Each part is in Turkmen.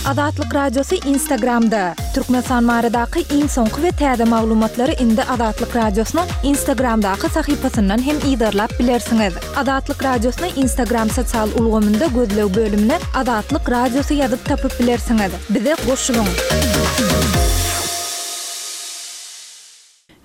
Azatlyk Radiosy Instagramda! Türkmenistan baradaky iň soňky we täze maglumatlary indi Azatlyk Radiosynyň Instagramdaky sahypasyndan hem yzarlap bilersiňiz. Azatlyk Radiosyny Instagram sosial ulgamynda gözleg bölümine Azatlyk Radiosy ýazyp tapyp bilersiňiz. Bize goşulyň!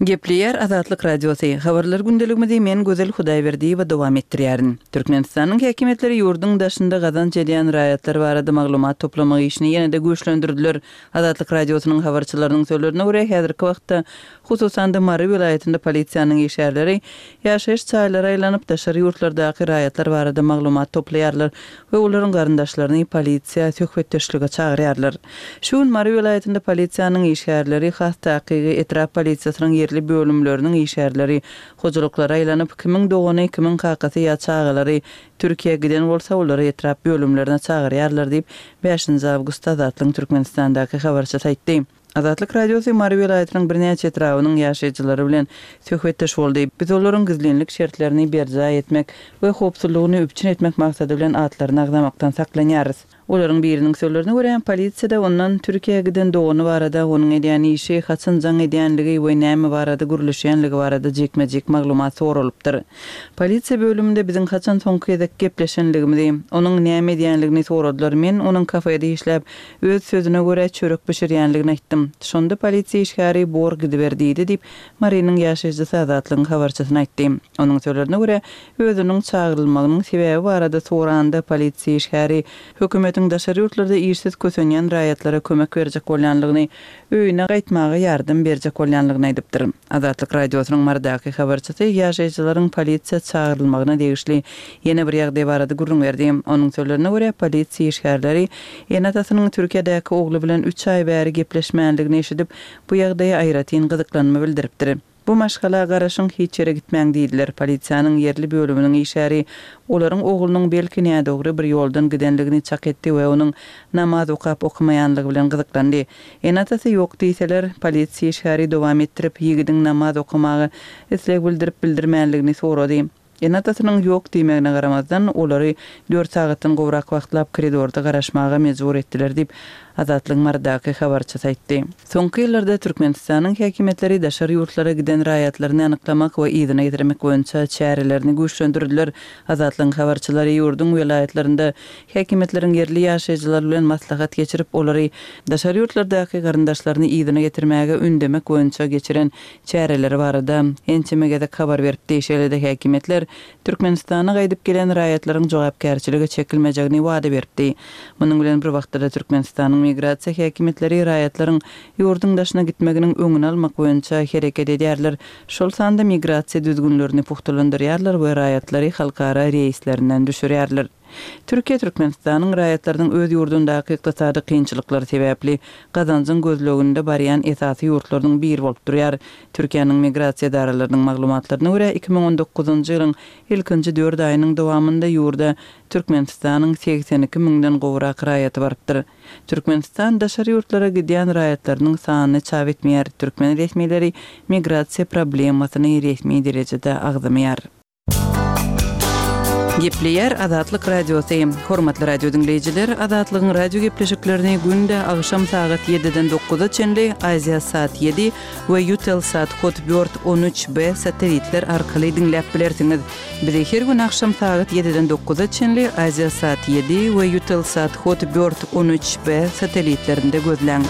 Gepleýär Azatlyk Radiosy, Habarlar gündeligimizi men Gözel Hudaýberdiýewa dowam etdirýärin. Türkmenistanyň häkimiýetleri ýurduň daşynda gazanç edýän raýatlar barada maglumat toplamak işini ýene-de güýçlendirdiler. Azatlyk Radiosynyň habarçylarynyň sözlerine görä, häzirki wagtda, hususan-da Mary welaýatynda polisiýanyň işgärleri ýaşaýyş jaýlara aýlanyp, daşary ýurtlardaky raýatlar barada maglumat toplaýarlar we olaryň garyndaşlaryny polisiýa söhbetdeşlige çagyrýarlar. Şu gün Mary welaýatynda polisiýanyň işgärleri, has takygy, etrap polisiýasynyň ýerli bölümleriniň işgärleri hojalyklara aýlanyp, kimiň dogany, kimiň kakasy ýa çagalary Türkiýä giden bolsa, olary etrap bölümlerine çagyrýarlar diýip, bäşinji awgustda Azatlygyň Türkmenistandaky habarçysy aýtdy. Azatlyk Radiosy Mary welaýatynyň birnäçe etrabynyň ýaşaýjylary bilen söhbetdeş boldy. Biz olaryň gizlinlik şertlerini berjaý etmek we howpsuzlygyny üpjün etmek maksady bilen atlaryny agzamakdan saklanýarys. Olaryň biriniň sözlerine görä, polisiýada ondan Türkiýä giden dogany barada, onuň edýän işi, haçan jaň edýänligi we näme barada gürleşýänligi barada jikme-jik maglumat soralypdyr. Polisiýa bölüminde biziň haçan soňky gezek gepleşenligimizi, onuň näme edýänligini soradylar. Men onuň kafede işläp, Öz sözüne görä, çörek bişirýänligini aýtdym. Şonda polisiýa işgäri Bor gidiber diýdi diýip, Marynyň ýaşaýjysy Azatlygyň habarçysyna aýtdy. Onuň sözlerine görä, özüniň çagyrylmagynyň sebäbi barada soranda, polisiýa işgäri hökümetiň daşary ýurtlarda işsiz kösenýän raýatlara kömek berjek bolýanlygyny, öýüne gaýtmaga ýardam berjek bolýanlygyny aýdypdyr. Azatlyk Radiosynyň Marydaky habarçysy ýaşaýjylaryň polisiýa çagyrylmagyna degişli ýene bir ýagdaý barada gürrüň berdi. Onuň sözlerine görä, polisiýa işgärleri ene-atasynyň Türkiýedäki ogly bilen üç aý bäri gepleşmändigini eşidip, bu ýagdaýa aýratyn gyzyklanma bildiripdir. Bu maşgala garaşyň, hiç ýere gitmäň diýdiler. Polisiýanyň ýerli bölüminiň işgäri olaryň oglunyň belki nädogry bir ýoldan gidenligini çak etdi we onuň namaz okap-okamaýanlygy bilen gyzyklandy. Ene-atasy ýok diýseler, polisiýa işgäri dowam etdirip, ýigidiň namaz okamaga isleg bildirip-bildirmänligini sorady. Ene-atasynyň ýok diýmegine garamazdan, olary dört sagatdan gowrak wagtlap koridorda garaşmaga mejbur etdiler diýip, Azatlygyň Marydaky habarçysy aýtdy. Soňky ýyllarda Türkmenistanyň häkimiýetleri daşary ýurtlara giden raýatlaryny anyklamak we yzyna getirmek boýunça çärelerini güýçlendirdiler. Azatlygyň habarçylary ýurduň welaýatlarynda häkimiýetleriň ýerli ýaşaýjylar bilen maslahat geçirip, olary daşary ýurtlardaky garyndaşlaryny yzyna getirmäge ündemek boýunça geçiren çäreleri barada ençeme gezek habar beripdi. Şeýle-de häkimiýetler Türkmenistana gaýdyp gelen raýatlaryň jogapkärçilige çekilmejegini wada beripdi. Munuň bilen bir wagtda-da Türkmenistanyň migrasiýa häkimiýetleri raýatlaryň ýurduň daşyna gitmeginiň öňüni almak boýunça hereket edýärler, şol sanda migrasiýa düzgünlerini pugtalandyrýarlar we raýatlary halkara reýslerinden düşürýärler. Türkiýe Türkmenistanyň raýatlarynyň öz ýurdundaky ykdysady kynçylyklar sebäpli gazanjyň gözleginde barýan esasy ýurtlarynyň biri bolup durýar. Türkiýäniň migrasiýa edaralarynyň maglumatlaryna görä, 2019-njy ýylyň ilkinji dört aýynyň dowamynda ýurda Türkmenistanyň 82 müňden gowrak raýaty barypdyr. Türkmenistan daşary ýurtlara gidýän raýatlarynyň sanyny çap etmeýär. Türkmen resmileri migrasiýa problemasyny resmi derejede agzamaýar. Gepleýär Azatlyk Radiosy. Hormatly radio diňleýjiler, Azatlygyň radio gepleşiklerini günde agşam sagat ýediden dokuza çenli Aziasat ýedi we Eutelsat Hotbird 13 B satelitler arkaly diňläp bilersiňiz. Bizi her gün agşam sagat ýediden dokuza çenli Aziasat ýedi we Eutelsat Hotbird 13 B satelitlerinde gözläň.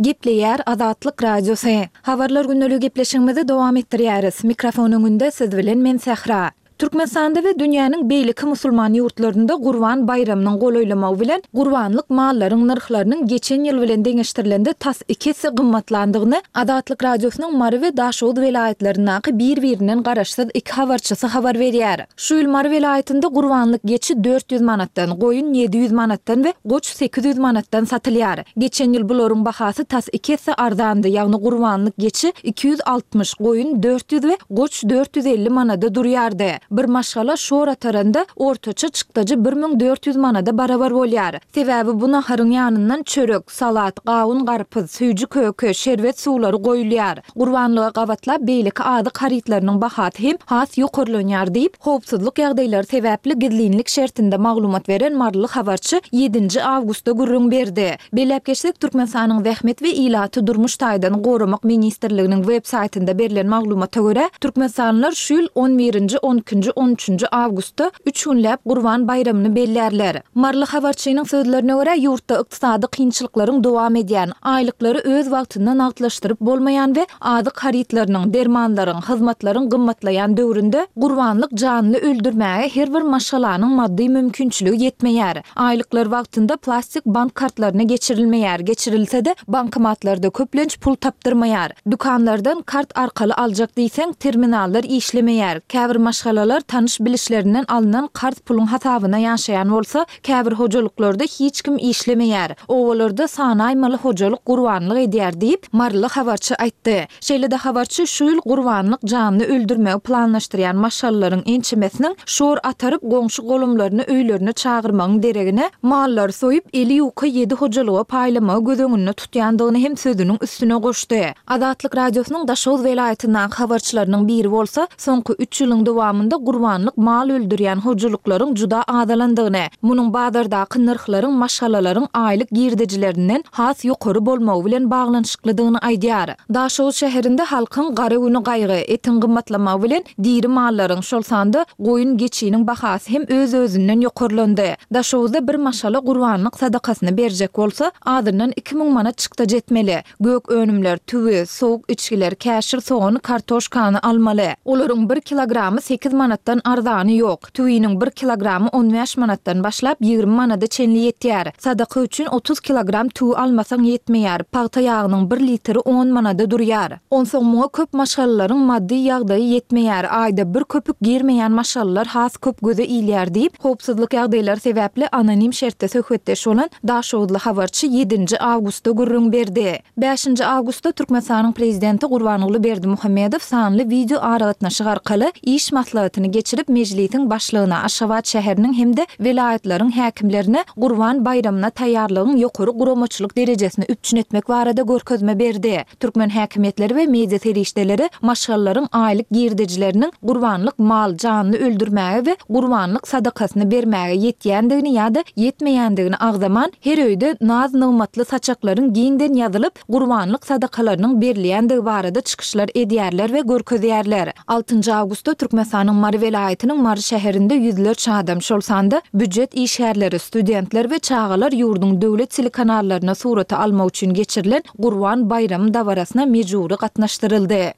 Gepleýär Azatlyk Radiosy. Habarlar gündeligi gepleşigimizi dowam etdirýäris. Mikrofon öňünde siz bilen men Sähra. Türkmenistanda we dünýäniň beýleki musulman ýurtlarynda Gurban baýramynyň golaýlamagy bilen gurbanlyk mallaryň nyrhlarynyň geçen ýyl bilen deňeşdirilende tas iki esse gymmatlandygyny Azatlyk Radiosynyň Mary we Daşoguz welaýatlaryndaky bir-birinden garaşsyz iki habarçysy habar berýär. Şu ýyl Mary welaýatynda gurbanlyk geçi 400 manatdan, goýun 700 manatdan we goç 800 manatdan satylýar. Geçen ýyl bularyň bahasy tas iki esse arzandy, ýagny gurbanlyk geçi 260, goýun 400 we goç 450 manada durýardy. Bir maşgala şor ataranda ortaça çykdajy 1400 manada barabar bolýar. Sebäbi bu naharyň ýanyndan çörek, salat, gawun-garpyz, süýji-köke, şerbet suwlary goýulýar. Gurbanlyga gabatlap beýleki azyk harytlarynyň bahasy hem has ýokarlanýar diýip, howpsuzlyk ýagdaýlary sebäpli gizlinlik şertinde maglumat beren maryly habarçy ýedinji awgustda gürrüň berdi. Belläp geçsek, Türkmenistanyň Zähmet we ilaty durmuş taýdan goramak ministrliginiň web saýtynda berlen maglumata görä, türkmenistanlylar şu ýyl on birinji, on ikinji, on üçünji awgustda üç günläp Gurban baýramyny bellärler. Maryly habarçynyň sözlerine görä, ýurtda ykdysady kynçylyklaryň dowam edýän, aýlyklary öz wagtynda nagtlaşdyryp bolmaýan we azyk harytlarynyň, dermanlaryň, hyzmatlaryň gymmatlaýan döwründe gurbanlyk janly öldürmäge her bir maşgalanyň maddy mümkinçiligi ýetmeýär. Aýlyklar wagtynda plastik bank kartlaryna geçirilmeýär, geçirilse-de, bankomatlarda köplenç pul tapdyrmaýar. Dükanlardan kart arkaly aljak diýseň, terminallar işlemeýär. Käbir maşgalalar tanyş-bilişlerinden alnan karz puluň hasabyna ýaşaýan bolsa, käbir hojalyklarda hiç kim işlemeýär. Obalarda sanaýmaly hojalyk gurbanlyk edýär diýip, maryly habarçy aýtdy. Şeýle-de habarçy şu ýyl gurbanlyk janly öldürmegi planlaşdyrýan maşgalalaryň ençemesiniň şor ataryp, goňşy-golamlaryny öýlerine çagyrmagyň deregine, mallary soýup, eli ýuka ýedi hojalyga paýlamagy göz öňünde tutýandygyny hem sözüniň üstüne goşdy. Azatlyk Radiosynyň Daşoguz welaýatyndaky habarçylarynyň biri bolsa, soňky üç ýylyň dowamynda gurbanlyk mal öldürýän hojalyklaryň juda azalandygyny, munuň bazardaky nyrhlaryň maşgalalaryň aýlyk girdejilerinden has ýokary bolmagy bilen baglanyşyklydygyny aýdýar. Daşoguz şäherinde halkyň gara güni gaýgy, etiň gymmatlamagy bilen diri mallaryň, şol sanda goýun-geçiniň bahasy hem öz-özünden ýokarlandy. Daşoguzda bir maşgala gurbanlyk sadakasyny berjek bolsa, azyndan 2000 manat çykdajy etmeli. Gök önümler, tüwi, sowuk içgiler, käşir sogany, kartoşkany almaly. Olaryň bir kilogramy sekiz manatdan arzany ýok. Tüwiniň bir kilogramy on bäş manatdan başlap, 20 manada çenli ýetýär. Sadaka üçin 30 kilogram tüwi almasaň ýetmeýär. Pagta ýagynyň bir litri on manada durýar. Onsoň muňa köp maşgalalaryň maddy ýagdaýy ýetmeýär, aýda bir köpük girmeýän maşgalalar has köp göze ilýär diýip, howpsuzlyk ýagdaýlary sebäpli anonim şertde söhbetdeş bolan daşoguzly habarçy ýedinji awgustda gürrüň berdi. Bäşinji awgustda Türkmenistanyň Prezidenti Gurbanguly Berdimuhamedow sanly wideo aragatnaşyk arkaly iş maslahatyny geçirip, Mejlisiň Başlygyna, Aşgabat şäheriniň hem-de welaýatlaryň häkimlerine Gurban baýramyna taýýarlygyň ýokary guramaçylyk derejesini üpjün etmek barada görkezme berdi. Türkmen häkimiýetleri we media serişdeleri maşgalalaryň aýlyk girdejileriniň gurbanlyk mal, janly öldürmäge we gurbanlyk sadakasyny bermäge ýetýändigini ýa-da ýetmeýändigini agzaman, her öýde naz-nygmatly saçaklaryň giňden ýazylyp, gurbanlyk sadakalarynyň berilýändigi barada çykyşlar edýärler we görkezýärler. Altynjy awgustda Türkmenistanyň Mary welaýatynyň Mary şäherinde ýüzlerçe adam, şol sanda býujet işgärleri, studentler we çagalar ýurduň döwlet telekanallaryna surata almak üçin geçirilen Gurban baýramy dabarasyna mejbury gatnaşdyryldy.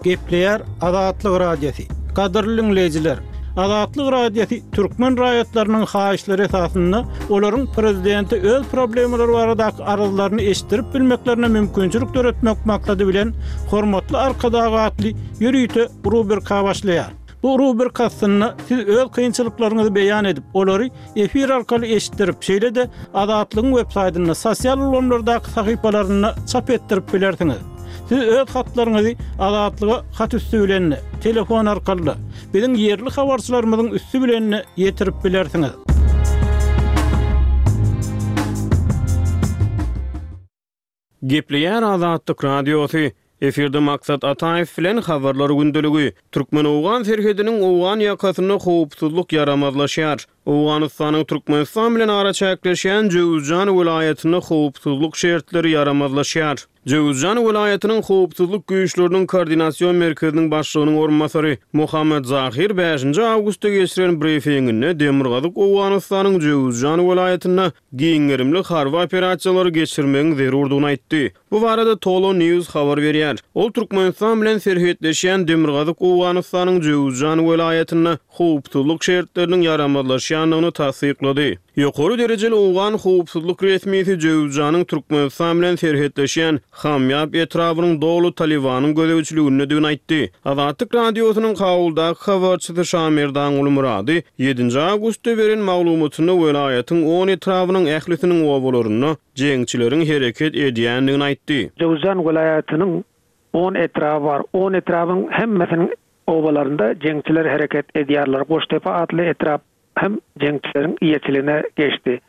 Gepleýär Azatlyk Radiosy. Gadyrly diňleýjiler! Azatlyk Radiosy türkmen raýatlarynyň haýyşlary esasynda olaryň prezidente öz problemalary baradaky arzlaryny eşitdirip bilmeklerine mümkinçilik döretmek maksady bilen Hormatly Arkadag atly ýörite rubrika başlaýar. Bu rubrika astynda siz öz kynçylyklaryňyzy beýan edip, olary efir arkaly eşitdirip, şeýle-de Azatlygyň websaýtynda, sosial ulgamlardaky sahypalarynda çap etdirip bilersiňiz. Siz öz hatlaryňyzy Azatlyga hat üsti bilen-de, telefon arkaly-da, biziň ýerli habarçylarymyzyň üsti bilen-de ýetirip bilersiňiz. Gepleýär Azatlyk Radiosy, Efirde Maksat Ataýew bilen Habarlar gündeligi. Türkmen-owgan serhediniň owgan ýakasynda howpsuzlyk ýaramazlaşýar. Owganystanyň Türkmenistan bilen araçäkleşýän Jöwüzjan welaýatynda howpsuzlyk şertleri ýaramazlaşýar. Jöwüzjan welaýatynyň howpsuzlyk güýçleriniň koordinasion merkeziniň başlygynyň orunbasary Mohammad Zahir bäşinji awgustda geçiren brifinginde demirgazyk Owganystanyň Jöwüzjan welaýatynda giň gerimli harby operasiýalary geçirmegiň zerurdygyny aýtdy. Bu barada Tolo News habar berýär. Ol Türkmenistan bilen serhetleşýän demirgazyk Owganystanyň Jöwüzjan welaýatynda howpsuzlyk şertleriniň ýaramazlaşýandygyny tassyklady. Ýokary derejeli owgan howpsuzlyk resmisi Jöwüzjanyň Türkmenistan bilen serhetleşýän Hamýap etrabynyň doly Talybanyň gözegçiligindedigini aýtdy. Azatlyk Radiosynyň Kabuldaky habarçysy Şamerdanguly Myrady ýedinji awgustda beren maglumatynda welaýatyň on etrabynyň ählisiniň obalarynda jeňçileriň hereket edýändigini aýtdy. Jöwzjan welaýatynyň. On etraby bar. On etrabyň hemmesiniň obalarynda jeňçiler hereket edýärler. Goştepe atly etrap hem jeňçileriň eýeçiligine geçdi.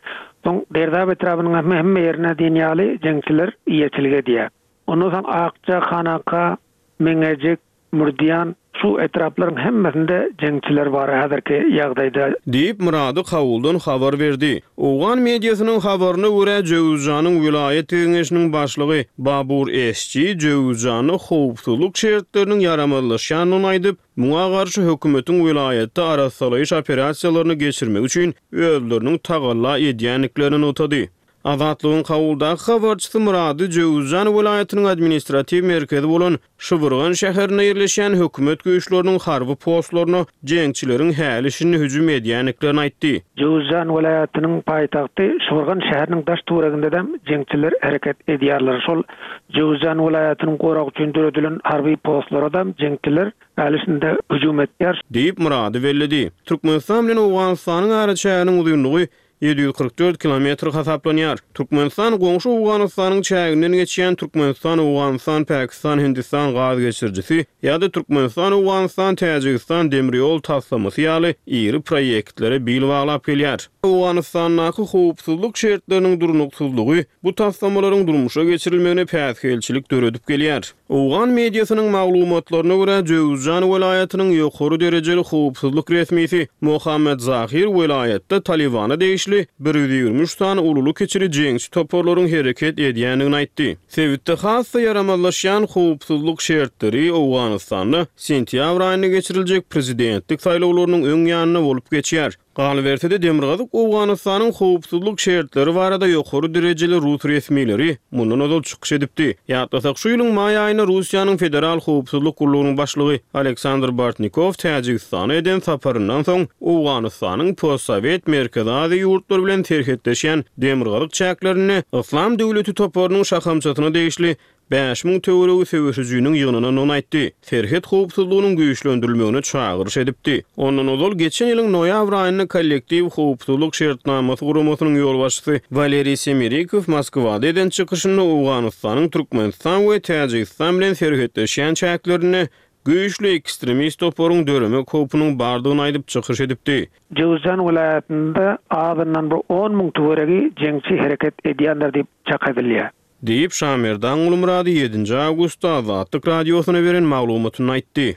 Soň Derdap etrabynyň hem hemme ýerine diýen ýaly jeňçiler eýeçilik edýär. Ondan soň Akja, Hanaka, Meňejik, Mürdiýan, şu etraplaryň hemmesinde jeňçiler bar häzirki ýagdaýda. Diýip, Myrady Kabuldan habar berdi. Owgan mediasynyň habaryna görä, Jöwüzjanyň welaýat geňeşiniň başlygy Babur Esji Jöwüzjanda howpsuzlyk şertleriniň ýaramazlaşýandygyny aýdyp, muňa garşy hökümetiň welaýatda arassalaýyş operasiýalaryny geçirmegi üçin özleriniň tagalla edýändiklerini nygtady. Azatlygyň Kabuldaky habarçysy Myrady Jöwüzjan welaýatynyň administratiw merkezi bolan Şybyrgan şäherinde ýerleşýän hökümet güýçleriniň harby postlaryna jeňçileriň häli-şindi hüjüm edýändiklerini aýtdy. Jöwüzjan welaýatynyň paýtagty Şybyrgan şäheriniň daş-töweregindedem jeňçiler hereket edýärler. Şol Jöwüzjan welaýatynyň goragy üçin döredilen harby postlaradam jeňçiler häli-şindi hüjüm edýär. Diýip, Myrady belledi. Türkmenistan bilen Owganystanyň araçäginiň uzynlygy 744 kilometr hasaplanýar. Türkmenistan goňşy Owganystanyň çäginden geçýän Türkmenistan-Owganystan-Pakistan-Hindistan gaz geçirijisi ýa-da Türkmenistan-Owganystan-Täjigistan demir ýol taslamasy ýaly iri proýektlere bil baglap gelýär. Owganystandaky howpsuzlyk şertleriniň durnuksyzlygy bu taslamalaryň durmuşa geçirilmegine päsgelçilik döredip gelýär. Owgan mediasynyň maglumatlaryna görä, Jöwüzjan welaýatynyň ýokary derejeli howpsuzlyk resmisi Mohammed Zahir welaýatda Talybana degişli 123 sany ululy-kiçili jeňçi toparlaryň hereket edýändigini aýtdy. Sebitde has-da ýaramazlaşýan howpsuzlyk şertleri Owganystanda sentýabr aýynda geçiriljek prezidentlik saýlawlarynyň öň ýanynda bolup geçýär. Galyberse-de, Demirgazyk Owganystanyň howpsuzlyk şertleri barada ýokary derejeli rus resmileri mundan ozal çykyş edipdi. Ýatlasak, şu ýylyň maý aýynda Russiýanyň Federal howpsuzlyk gullugynyň başlygy Aleksandr Bortnikow Täjigistana eden saparyndan soň, Owganystanyň postsowet Merkezi Aziýa ýurtlary bilen serhetleşýän demirgazyk çäklerinde Yslam döwleti toparynyň şahamçasyna degişli 5000 töweregi söweşijiniň ýygnanandygyny aýtdy, serhet howpsuzlygynyň güýçlendirilmegine çagyryş edipdi. Ondan ozal, geçen ýylyň noýabr aýynda Kollektiw howpsuzlyk şertnamasy guramasynyň ýolbaşçysy Waleriý Semerikow Moskwada eden çykyşynda Owganystanyň Türkmenistan we Täjigistan bilen serhetleşýän çäklerinde güýçli ekstremist toparyň döremek howpunyň bardygyny aýdyp çykyş edipdi. Jöwüzjan welaýatynda azyndan bir on müň töweregi jeňçi hereket edýändir diýip çak edilýär. Diýip, Şamerdan Gulmyrady ýedinji awgustda Azatlyk Radiosyna beren maglumatynda aýtdy.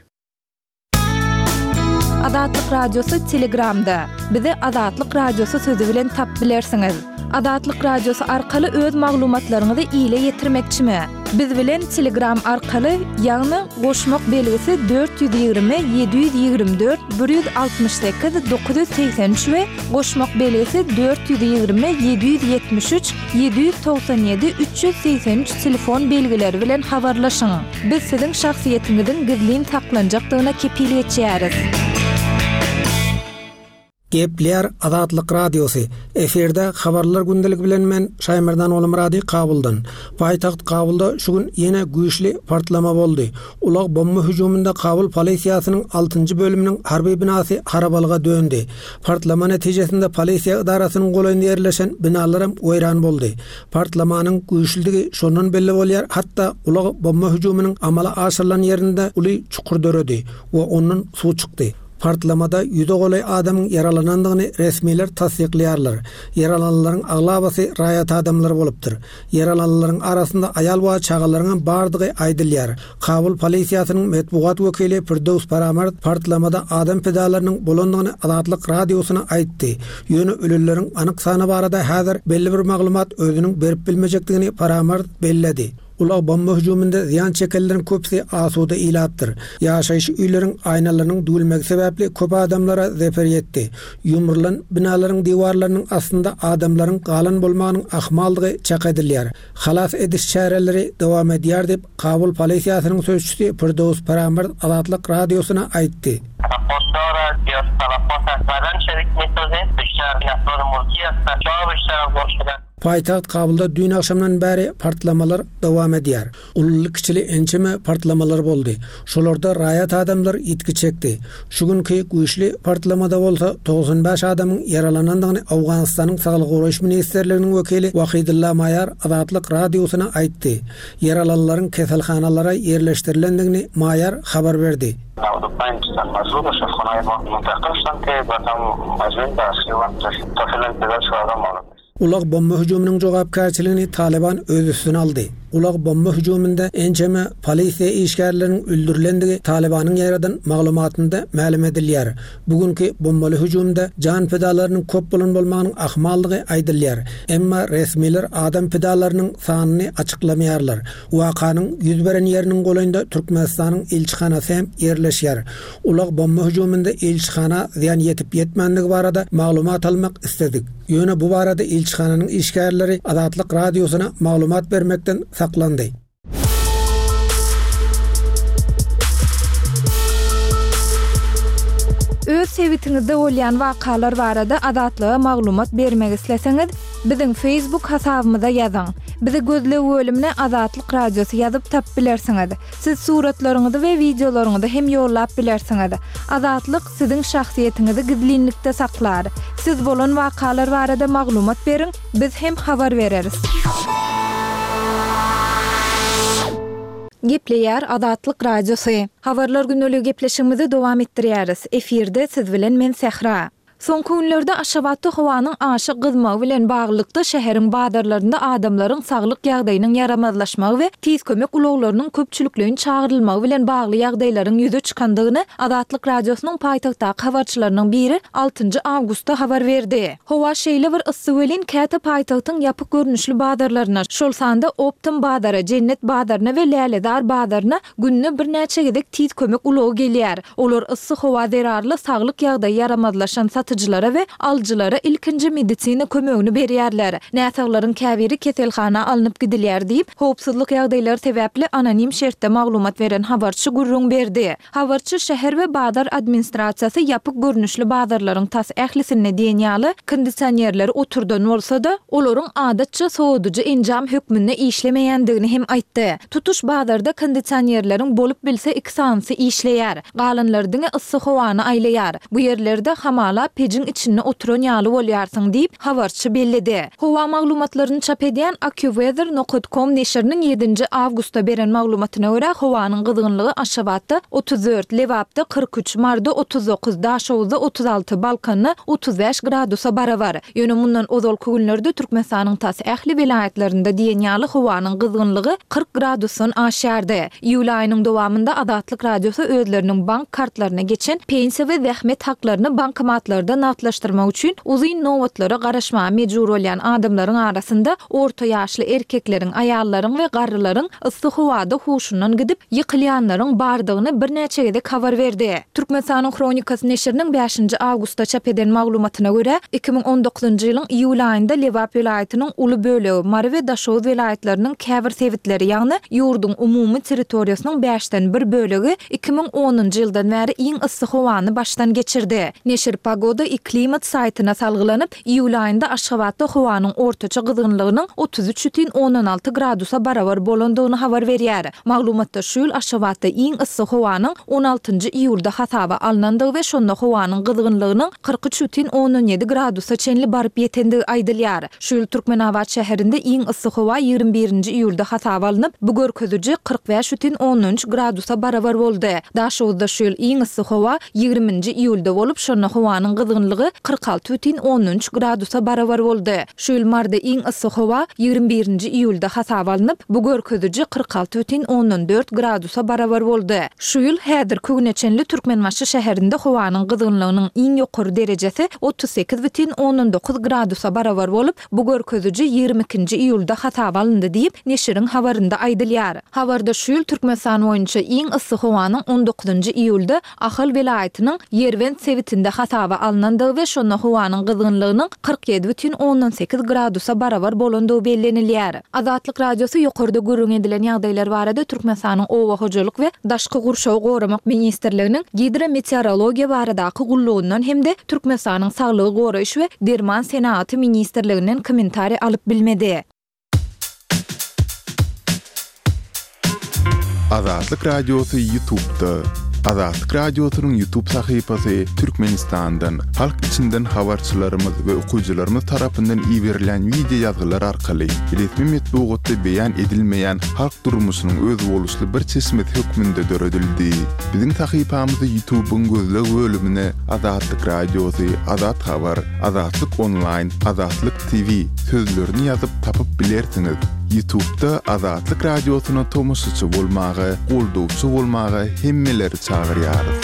Azatlyk Radiosy Telegramda. Bizi Azatlyk Radiosy sözi bilen tap bilersiňiz. Azatlyk Radiosy arkaly öz maglumatlaryňyzy ile ýetirmekçimi? Biz bilen Telegram arkaly, ýagny goşmak belgisi 420 724 168 983 we goşmak belgisi 420 773 797 383 telefon belgileri bilen habarlaşyň. Biz siziň şahsyýetiňiziň gizlin saklanjakdygyna kepil geçýäris. Gepleýär Azatlyk Radiosy, Efirde Habarlar gündeligi bilen men Şaýmerdan Ogulmyrady Kabuldan. Paýtagt Kabulda şu gün ýene güýçli partlama boldy. Ulag bomba hüjüminde Kabul polisiýasynyň altynjy bölüminiň harby binasy harabalyga döndi. Partlama netijesinde polisiýa edarasynyň golaýynda ýerleşen binalaram weýran boldy. Partlamanyň güýçlüdigi şondan belli bolýar, hatda ulag bomba hüjüminiň amala aşyrylan ýerinde uly çukur döredi we ondan suw çykdy. Partlamada ýüze golaý adamyň ýaralanandygyny resmiler tassyklaýarlar. Ýaralananlaryň aglabasy raýat adamlar bolupdyr. Ýaralananlaryň arasynda aýal we çagalaryňam bardygy aýdylýar. Kabul polisiýasynyň metbugat wekili Firdöws Paramard partlamada adam pidalarynyň bolandygyny Azatlyk Radiosyna aýtdy. Ýöne ölenleriň anyk sany barada häzir belli bir maglumat özüniň berip bilmejekdigini Paramard belledi. Ulag bomba hüjüminde zyýan çekenleriň köpüsi asuda ilatdyr. Ýaşaýyş öýleriň aýnalarynyň düwülmegi sebäpli köp adamlara zeper ýetdi. Ýumrulan binalaryň diwarlarynyň astynda adamlaryň galan bolmagynyň ahmaldygy çak edilýär. Halas ediş çäreleri dowam edýär diýip, Kabul polisiýasynyň sözçüsi Firdöws Paramard Azatlyk Radiosyna aýtdy. Paýtagt Kabulda düýn agşamdan bäri partlamalar dowam edýär. Ululy-kiçili ençeme partlamalar boldy. Şolarda raýat adamlar ýitgi çekdi. Şu günki güýçli partlamada bolsa 95 adamyň ýaralanandygyny Owganystanyň Saglygy goraýyş ministrliginiň wekili Wahidulla Maýar Azatlyk Radiosyna aýtdy. Ýaralylaryň keselhanalara ýerleşdirilendigini Maýar habar berdi. Ulag bomba hüjüminiň jogapkärçiligini Talyban öz üstüne aldy. Ulag bomba hüjüminde ençeme polisiýa işgärleriniň öldürilendigi Talybanyň ýaýradan maglumatynda mälim edilýär. Bu günki bombaly hüjümde jan pidalarynyň köp bolan bolmagynyň ahmaldygy aýdylýar. Emma resmiler adam pidalarynyň sanyny açyklamaýarlar. Wakanyň 100 beren ýeriniň golaýynda Türkmenistanyň ilçihanasy hem ýerleşýär. Ulag bomba hüjüminde ilçihana zyýan ýetip-ýetmändigi barada maglumat almak isledik. Ýöne bu barada ilçihananyň işgärleri Azatlyk Radiosyna maglumat bermekden saklandy. Öz sebitiňizde bolýan wakalar barada Azatlyga maglumat bermek isleseňiz, biziň Facebook hasabymyza ýazyň. Bizi gözleg bölümine Azatlyk Radiosy ýazyp tapyp bilersiňiz. Siz suratlaryňyzy we wideolaryňyzy hem ýollap bilersiňiz. Azatlyk siziň şahsyýetiňizi gizlinlikde saklar. Siz bolan wakalar barada maglumat beriň, biz hem habar bereris. Gepleýär Azatlyk Radiosy. Habarlar gündeligi gepleşigimizi dowam etdirýäris. Efirde siz bilen men Sähra. Soňky günlerde Aşgabatda howanyň aşa gyzmagy bilen baglylykda şäheriň bazarlarynda adamlaryň saglyk ýagdaýynyň ýaramazlaşmagy we tiz kömek ulaglarynyň köpçülikleýin çagyrylmagy bilen bagly ýagdaýlaryň ýüze çykandygyny Azatlyk Radiosynyň paýtagtdaky habarçylarynyň biri altynjy awgustda habar berdi. Howa şeýle bir yssy welin, käte paýtagtyň ýapyk görnüşli bazarlaryna, şol sanda Optom bazara, Jennet bazaryna we Lälezar bazaryna Günde birnäçe gezek tiz kömek ulagy gelýär. Olar yssy howa zerarly saglyk ýagdaýy ýaramazlaşan satyjylara we alyjylara ilkinji medisina kömegini berýärler. Näsaglaryň käbiri keselhana alnyp gidilýär diýip, howpsuzlyk ýagdaýlary sebäpli anonim şertde maglumat beren habarçy gürrüň berdi. Habarçy şäher we bazar administrasiýasy ýapyk görnüşli bazarlaryň tas ählisinde diýen ýaly kondisionerleri oturdan bolsa-da, olaryň adatça sowadyjy enjam hökmünde işlemeýändigini hem aýtdy. Tutuş bazarda kondisionerleriň bolup bilse iki sanysy işleýär. Galanlary diňe yssy howany aýlaýar. Bu ýerlerde hamala pejiň içinde oturan ýaly bolýarsyň diýip, habarçy belledi. Howa maglumatlaryny çap edýän AccuWeather nokat com neşiriniň ýedinji awgustda beren maglumatyna görä, howanyň gyzgynlygy Aşgabatda 34, Lebapda 43, Maryda 39, Daşoguzda 36, Balkanda 35 gradusa barabar. Ýöne mundan ozalky günlerde Türkmenistanyň tas ähli welaýatlarynda diýen ýaly howanyň gyzgynlygy 40 gradusdan aşýardy. Iýul aýynyň dowamynda Azatlyk Radiosy özleriniň bank kartlaryna geçen pensiýa we zähmet haklaryny bankomatlarda nagtlaşdyrmak üçin uzyn nobatlara garaşmaga mejbur bolýan adamlaryň arasynda orta ýaşly erkekleriň, aýallaryň we garrylaryň yssy howada huşundan gidip, ýykylýanlaryň bardygyny birnäçe gezek habar berdi. Türkmenistanyň Hronikasy neşiriniň bäşinji awgustda çap eden maglumatyna görä, 2019-njy ýylyň iýul aýynda Lebap welaýatynyň uly bölegi, Mary we Daşoguz welaýatlarynyň käbir sebitleri, ýagny ýurduň umumy territoriýasynyň bäşden bir bölegi 2010-njy ýyldan bäri iň yssy howany başdan geçirdi. Neşir Pogoda i klimat saýtyna salgylanyp, Iýul aýynda Aşgabatda howanyň ortaça gyzgynlygynyň 33 bütin ondan alty gradusa barabar bolandygyny habar berýär. Maglumatda şu ýyl Aşgabatda iň yssy howanyň on altynjy iýulda hasaba alnandygy we şonda howanyň gyzgynlygynyň 43 bütin ondan ýedi gradusa çenli baryp ýetendigi aýdylýar. Şu ýyl Türkmenabat şäherinde iň yssy howa ýigrimi birinji iýulda hasaba alnyp, bu görkeziji 45 bütin ondan üç gradusa barabar boldy. Daşoguzda şu ýyl iň yssy howa ýigriminji iýulda bolup, şonda howanyň gyzgynlygy 46 bütin ondan üç gradusa barabar boldy. Şu ýyl Maryda iň yssy howa ýigrimi birinji iýulda hasaba alnyp, bu görkeziji 46 bütin ondan dört gradusa barabar boldy. Şu ýyl häzirki güne çenli Türkmenbaşy şäherinde howanyň gyzgynlygynyň iň ýokary derejesi 38 bütin ondan dokuz gradusa barabar bolup, Bu görkeziji ýigrimi ikinji iýulda hasaba alyndy diýip, neşiriň habarynda aýdylýar. Habarda şu ýyl Türkmenistan boýunça iň yssy howanyň on dokuzynjy iýulda Ahal welaýatynyň Ýerbent sebitinde hasaba alnandygy. alnandygy we şonda howanyň gyzgynlygynyň 47,8 gradusa barabar bolandygy bellenilýär. Azatlyk Radiosy ýokarda gürrüň edilen ýagdaýlar barada Türkmenistanyň Oba hojalyk we daşky gurşawy goramak ministrliginiň Gidrometeorologiýa baradaky gullugyndan hem-de Türkmenistanyň Saglygy goraýyş we derman senagaty ministrliginden kommentariý alyp bilmedi. Azatlyk Radiosy Ýutubda. Azatlyk Radiosynyň Ýutub sahypasy Türkmenistandan, halk içinden habarçylarymyz we okyjylarymyz tarapyndan iberilýän wideo ýazgylar arkaly resmi metbugatda beýan edilmeýän halk durmuşynyň özboluşly bir çeşmesi hökmünde döredildi. Biziň sahypamyzy Ýutubyň gözleg bölümine Azatlyk Radiosy, Azat Habar, Azatlyk Onlaýn, Azatlyk TV sözlerini ýazyp tapyp bilersiňiz. Ýutubda Azatlyk Radiosyna tomaşaçy bolmaga, goldawçy bolmaga hemmeleri çagyrýarys.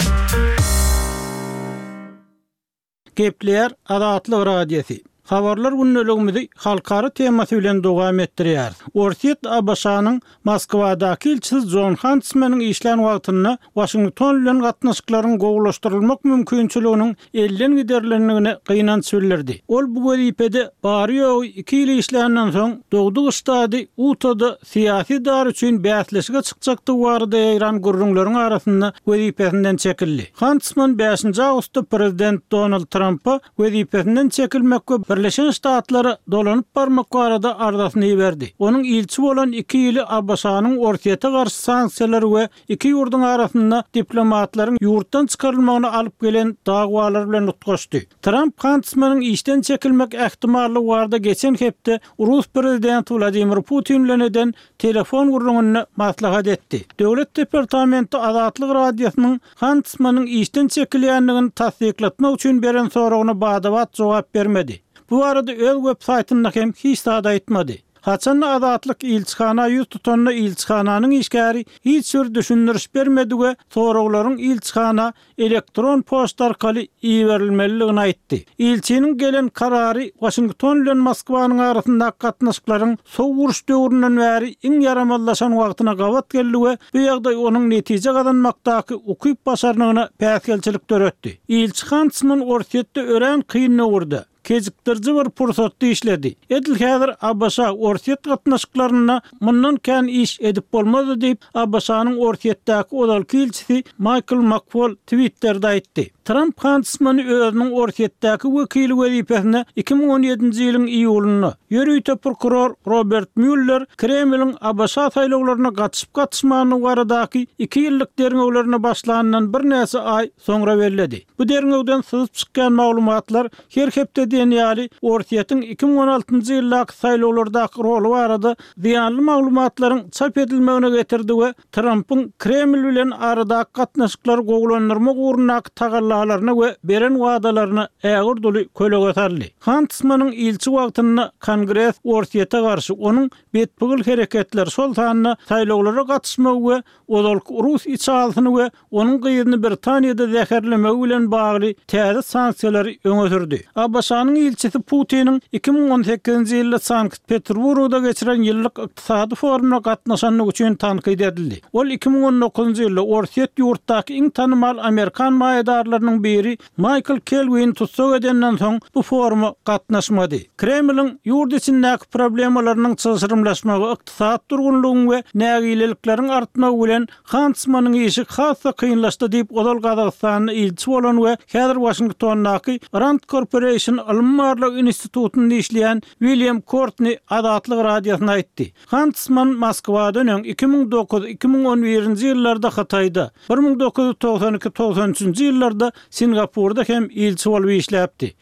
Gepleýär Azatlyk Radiosy. Habarlar gündeligimizi halkara temasy bilen dowam etdirýäris. Orsýet ABŞ-nyň Moskwadaky ilçisi Jon Hantsmeniň işlän wagtynda Waşington bilen gatnaşyklaryň gowulaşdyrylmak mümkinçiliginiň elden giderilendigine gynanç bildirdi. Ol bu wezipede bary-ýogy iki ýyl işländen soň, dogduk ştady Utada syýasy dar üçin bäsleşige çykjakdygy barada ýaýran gürrüňleriň arasynda wezipesinden çekildi. Hantsman bäşinji awgustda prezident Donald Trampa wezipesinden çekilmek we Birleşen Ştatlara dolanyp barmak barada arzasyny iberdi. Onuň ilçi bolan iki ýyly ABŞ-nyň Orsýete garşy sanksiýalary we iki ýurduň arasynda diplomatlaryň ýurtdan çykarylmagyna alyp gelen dawalar bilen utgaşdy. Tramp Hantsmanyň işden çekilmek ähtimallygy barada geçen hepde rus prezidenti Wladimir Putin bilen eden telefon gürrüňinde maslahat etdi. Döwlet departamenti Azatlyk Radiosynyň Hantsmanyň işden çekilýändigini tassyklatmak üçin beren soragyna bada-bat jogap bermedi. Bu barada öz web saýtynda hem hiç zat aýtmady. Haçanda Azatlyk ilçihana ýüz tutanda ilçihananyň işgäri hiç bir düşündiriş bermedi we soraglaryň ilçihana elektron poçta arkaly iberilmelidigini aýtdy. Ilçiniň gelen karary Waşington bilen Moskwanyň arasyndaky gatnaşyklaryň sowuk uruş döwründen bäri iň ýaramazlaşan wagtyna gabat geldi we bu ýagdaý onuň netije gazanmakdaky ukyp-başarnygyna päsgelçilik döretdi. Ilçi Hantsman Orsýetde örän kyn döwürde, kejikdiriji bir pursatda işledi. Edil häzir ABŞ-Orsýet gatnaşyklarynda mundan kän iş edip bolmazdy diýip, ABŞ-nyň Orsýetdäki ozalky ilçisi Maýkl Makfol Twitterde aýtdy. Tramp Hantsmany özüniň Orsýetdäki wekili wezipesine 2017-nji ýylyň iýulynda, ýörite prokuror Robert Mýuller Kremliň ABŞ saýlawlaryna gatyşyp-gatyşmandygy baradaky iki ýyllyk derňewlerine başlanyndan birnäçe aý soňra belledi. Bu derňewden syzyp çykýan maglumatlar her hepde diýen ýaly Orsýetiň 2016-njy ýyldaky saýlawlardaky roly barada zyýanly maglumatlaryň çap edilmegine getirdi we Trampyň Kreml bilen aradaky gatnaşyklary gowulandyrmak ugrundaky tagallalaryna we beren wadalaryna ägirt uly kölege saldy. Hantsmanyň ilçi wagtynda Kongres Orsýete garşy onuň betpygyl hereketleri, şol sanda saýlawlara gatyşmagy we ozalky rus içalysyny we onuň gyzyny Britaniýada zäherlemegi bilen bagly täze sanksiýalary öňe sürdi. ABŞ-nyň ilçisi Putiniň 2018-nji ýylda Sankt-Peterburgda geçiren ýyllyk ykdysady forumyna gatnaşandygy üçin tankyt edildi. Ol 2019-njy ýylda Orsýet ýurtdaky iň tanymal amerikan maýadarlarynyň biri Maýkl Kelwini tussag edenden soň bu foruma gatnaşmady. Kremliň ýurt içindäki problemalarynyň çylşyrymlaşmagy, ykdysady durgunlygyň we nägilelikleriň artmagy bilen Hantsmanyň işi has-da kynlaşdy diýip, ozal Gazagystanda ilçi bolan we häzir Waşingtondaky Rand Corporation ylmy-barlag institutynda işleýän William Kortni Azatlyk Radiosyna aýtdy. Hantsman Moskwadan öň 2009, 2011-nji ýyllarda Hytaýda, 1992, 93-nji ýyllarda Singapurda hem ilçi bolup işläpdi.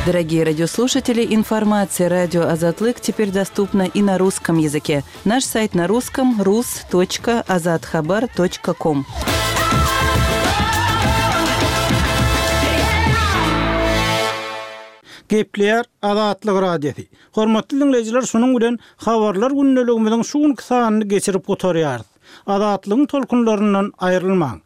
Дорогие радиослушатели, информация радио Азатлык теперь доступна и на русском языке. Наш сайт на русском rus.azathabar.com. Gepleýär Azatlyk Radiosy. Hormatly diňleýjiler, şunuň bilen Habarlar gündeligimiziň şu günki sanyny geçirip gutarýarys. Azatlygyň tolkunlaryndan aýrylmaň!